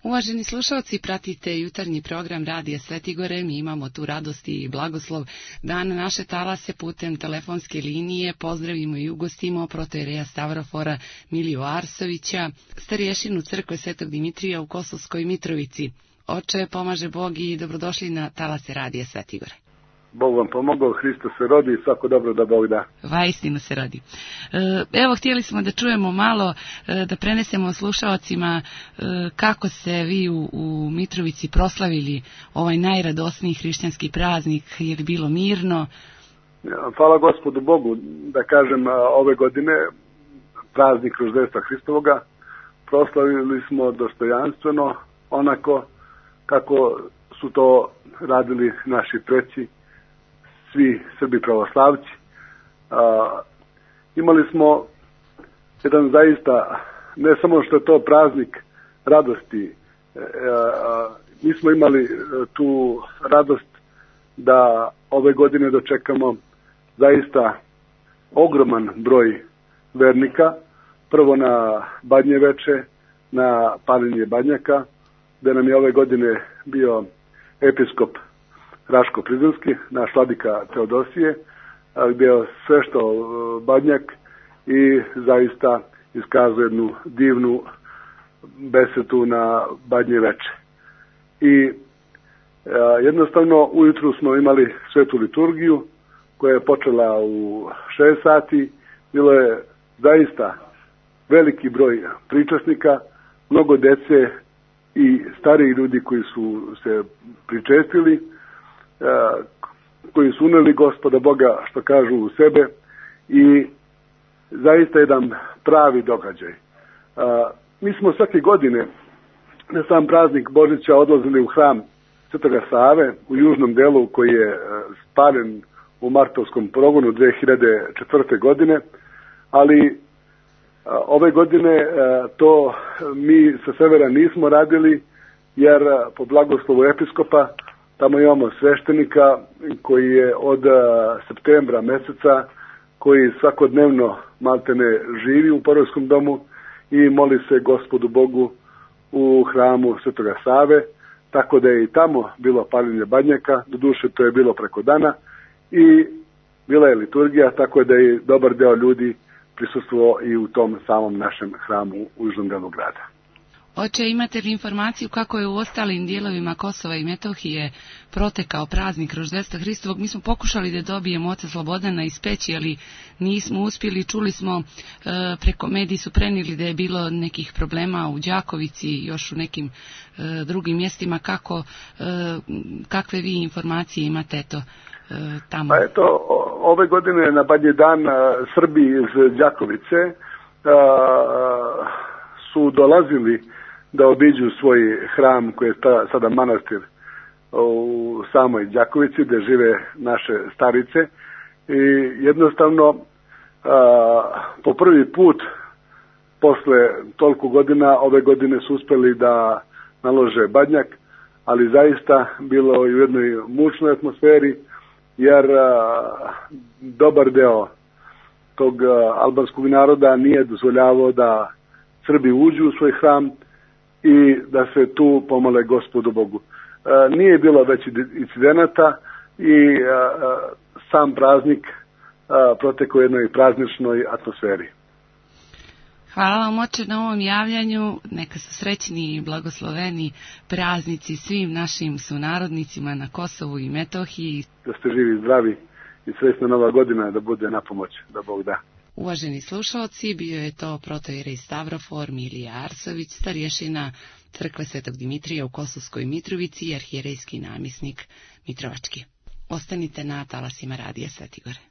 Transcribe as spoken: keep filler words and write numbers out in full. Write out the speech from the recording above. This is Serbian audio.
Uvaženi slušalci, pratite jutarnji program Radija Svetigore. Mi imamo tu radost i blagoslov da na naše talase putem telefonske linije pozdravimo i ugostimo protoijereja Stavrofora Miliju Arsovića, starješinu crkve Svetog Dimitrija u Kosovskoj Mitrovici. Oče, pomaže Bog i dobrodošli na talase Radija Svetigore. Bog vam pomogao, Hristos se rodi i svako dobro da Bog da. Vaistinu se rodi. Evo, htjeli smo da čujemo malo, da prenesemo slušalcima kako ste vi u, u Mitrovici proslavili ovaj najradosniji hrišćanski praznik. Je li bilo mirno? Hvala Gospodu Bogu, da kažem, ove godine praznik Roždestva Hristovoga proslavili smo dostojanstveno, onako kako su to radili naši preci, svi Srbi pravoslavci. A, imali smo jedan zaista, ne samo što je to praznik radosti, a, a, mi smo imali tu radost da ove godine dočekamo zaista ogroman broj vernika, prvo na Badnje veče, na paljenje badnjaka, gde nam je ove godine bio episkop Raško-Prizrenski, naš vladika Teodosije, gdje je sve što badnjak i zaista iskazuje jednu divnu besetu na Badnje veče. I a, jednostavno ujutru smo imali svetu liturgiju koja je počela u šest sati. Bilo je zaista veliki broj pričasnika, mnogo dece i stariji ljudi koji su se pričestili, koji su uneli Gospoda Boga, što kažu, u sebe, i zaista jedan pravi događaj. Mi smo svake godine na sam praznik Božića odlazili u hram Svetoga Save u južnom delu koji je spaljen u martovskom progonu dve hiljade četvrte. godine, ali ove godine to mi sa severa nismo radili, jer po blagoslovu episkopa tamo imamo sveštenika koji je od septembra meseca, koji svakodnevno maltene živi u Porojskom domu i moli se Gospodu Bogu u hramu Svetoga Save, tako da je i tamo bilo paljenje badnjaka, doduše to je bilo preko dana, i bila je liturgija, tako da je dobar deo ljudi prisustvovao i u tom samom našem hramu u južnom delu grada. Oče, imate li informaciju kako je u ostalim dijelovima Kosova i Metohije protekao praznik Roždestva Hristovog? Mi smo pokušali da dobijemo oca Slobodana iz Peći, ali nismo uspjeli. Čuli smo, e, preko mediji su prenijeli da je bilo nekih problema u Đakovici i još u nekim e, drugim mjestima. Kako, e, kakve vi informacije imate eto, e, tamo? Pa eto, ove godine na Badnji dan Srbi iz Đakovice a, su dolazili da obiđu svoj hram koji je ta, sada manastir u samoj Đakovici gdje žive naše starice, i jednostavno a, po prvi put posle toliko godina ove godine su uspjeli da nalože badnjak, ali zaista bilo i u jednoj mučnoj atmosferi, jer a, dobar deo tog a, albanskog naroda nije dozvoljavao da Srbi uđu u svoj hram i da se tu pomole Gospodu Bogu. E, nije bilo već incidenata i e, sam praznik e, protekao u jednoj prazničnoj atmosferi. Hvala vam, oče, na ovom javljanju. Neka su srećni i blagosloveni praznici svim našim sunarodnicima na Kosovu i Metohiji. Da ste živi i zdravi i srećna nova godina da bude na pomoć, da Bog da. Uvaženi slušalci, bio je to protoijerej Stavrofor Milija Arsović, starješina crkve Svetog Dimitrija u Kosovskoj Mitrovici i arhijerejski namjesnik Mitrovački. Ostanite na talasima Radija Svetigore.